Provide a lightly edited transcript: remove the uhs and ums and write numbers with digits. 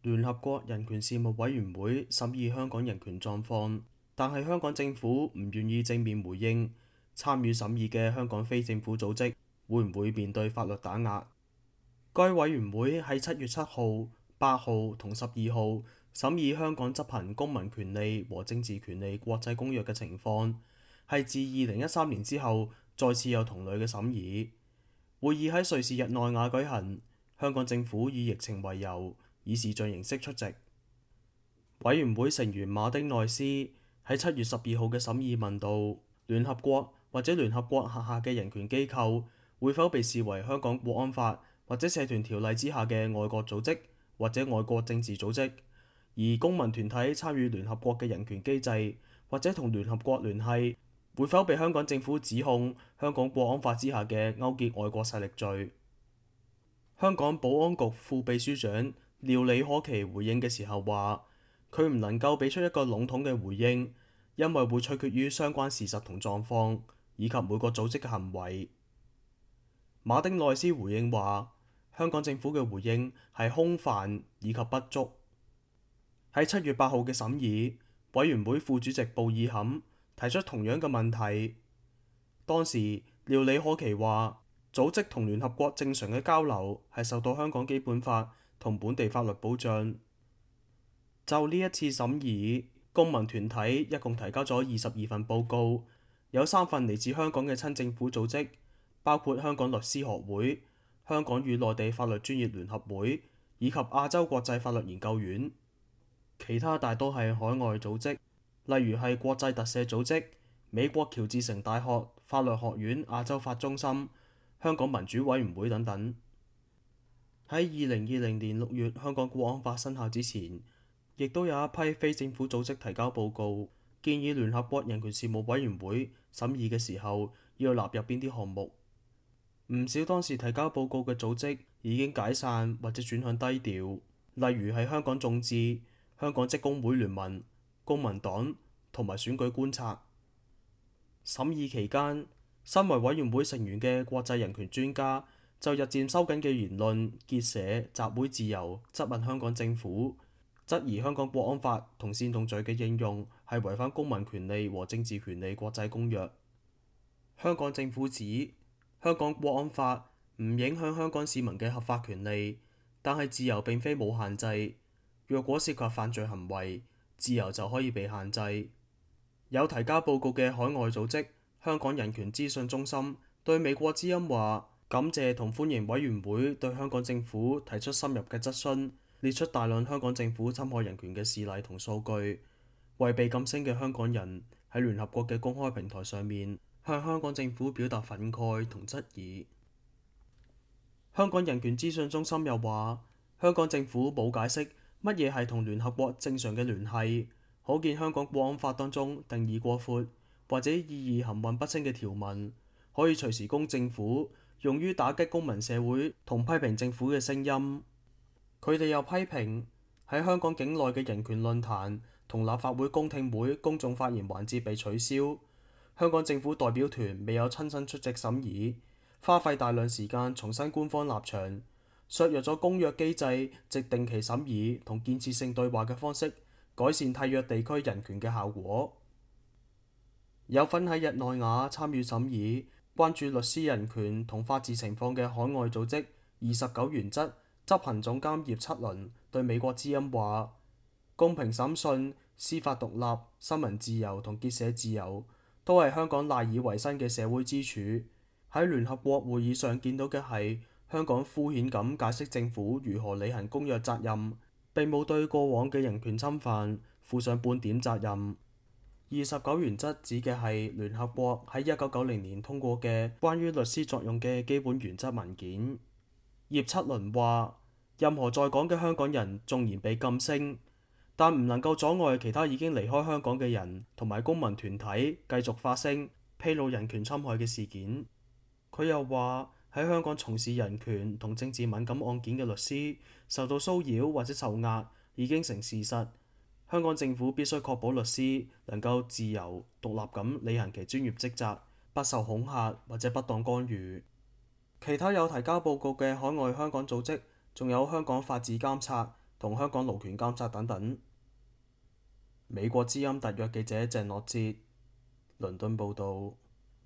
聯合國人權事務委員會審議香港人權狀況，但係香港政府唔願意正面回應參與審議嘅香港非政府組織會唔會面對法律打壓。該委員會喺7月7號、8號同12號審議香港執行公民權利和政治權利國際公約嘅情況，係自2013年之後再次有同類嘅審議。會議喺瑞士日內瓦舉行，香港政府以疫情為由，以視像形式出席。委員會成員馬丁內斯喺7月12號嘅審議問到，聯合國或者聯合國轄下嘅人權機構會否被視為香港國安法或者社團條例之下嘅外國組織或者外國政治組織，而公民團體參與聯合國嘅人權機制或者同聯合國聯繫，會否被香港政府指控香港國安法之下嘅勾結外國勢力罪？香港保安局副秘書長廖李可琪回應嘅時候話，佢唔能夠俾出一個籠統嘅回應，因為會取決於相關事實同狀況，以及每個組織嘅行為。馬丁內斯回應話，香港政府嘅回應係空泛以及不足。喺7月8號嘅審議，委員會副主席布爾坎提出同樣嘅問題。當時廖李可琪話，組織同聯合國正常嘅交流係受到香港基本法同本地法律保障。就呢一次審議，公民團體一共提交咗22份報告，有3份嚟自香港嘅親政府組織，包括香港律師學會、香港與內地法律專業聯合會以及亞洲國際法律研究院。其他大多係海外組織，例如係國際特赦組織、美國喬治城大學法律學院亞洲法中心、香港民主委員會等等。喺2020年6月香港國安法生效之前，亦都有一批非政府組織提交報告，建議聯合國人權事務委員會審議嘅時候要納入邊啲項目。唔少當時提交報告嘅組織已經解散或者轉向低調，例如係香港眾志、香港職工會聯盟、公民黨同埋選舉觀察。審議期間，身為委員會成員嘅國際人權專家就日漸收緊嘅言論、結社、集會自由質問香港政府，質疑香港國安法同煽動罪嘅應用係違反公民權利和政治權利國際公約。香港政府指香港國安法唔影響香港市民嘅合法權利，但係自由並非冇限制。若果涉及犯罪行為，自由就可以被限制。有提交報告嘅海外組織香港人權資訊中心對美國之音話，感謝同歡迎委員會對香港政府提出深入嘅質詢，列出大量香港政府侵害人權嘅事例同數據，為被禁聲嘅香港人喺聯合國嘅公開平台上面向香港政府表達憤慨同質疑。香港人權資訊中心又話，香港政府冇解釋乜嘢係同聯合國正常嘅聯繫，可見香港國安法當中定義過闊或者意義含混不清嘅條文，可以隨時供政府用於打擊公民社會同批評政府嘅聲音。佢哋又批評喺香港境內嘅人權論壇同立法會公聽會公眾發言環節被取消，香港政府代表團未有親身出席審議，花費大量時間重申官方立場，削弱咗公約機制藉定期審議同建設性對話嘅方式改善締約地區人權嘅效果。有份喺日內瓦參與審議、關注律師人權同法治情況嘅海外組織29原則執行總監葉七倫對美國之音話，公平審訊、司法獨立、新聞自由同結社自由都係香港賴以為生嘅社會支柱。喺聯合國會議上見到嘅係香港敷衍咁解釋政府如何履行公約責任，並冇對過往嘅人權侵犯負上半點責任。29原則指嘅係聯合國喺1990年通過嘅關於律師作用嘅基本原則文件。葉七倫話，任何在港嘅香港人縱然被禁聲，但唔能夠阻礙其他已經離開香港嘅人同埋公民團體繼續發聲，披露人權侵害嘅事件。佢又話，喺香港從事人權同政治敏感案件嘅律師受到騷擾或者受壓已經成事實，香港政府必須確保律師能夠自由獨立咁履行其專業職責，不受恐嚇或者不當干預。其他有提交報告嘅海外香港組織仲有香港法治監察同香港勞權監察等等。美國之音特約記者鄭樂哲，倫敦報導。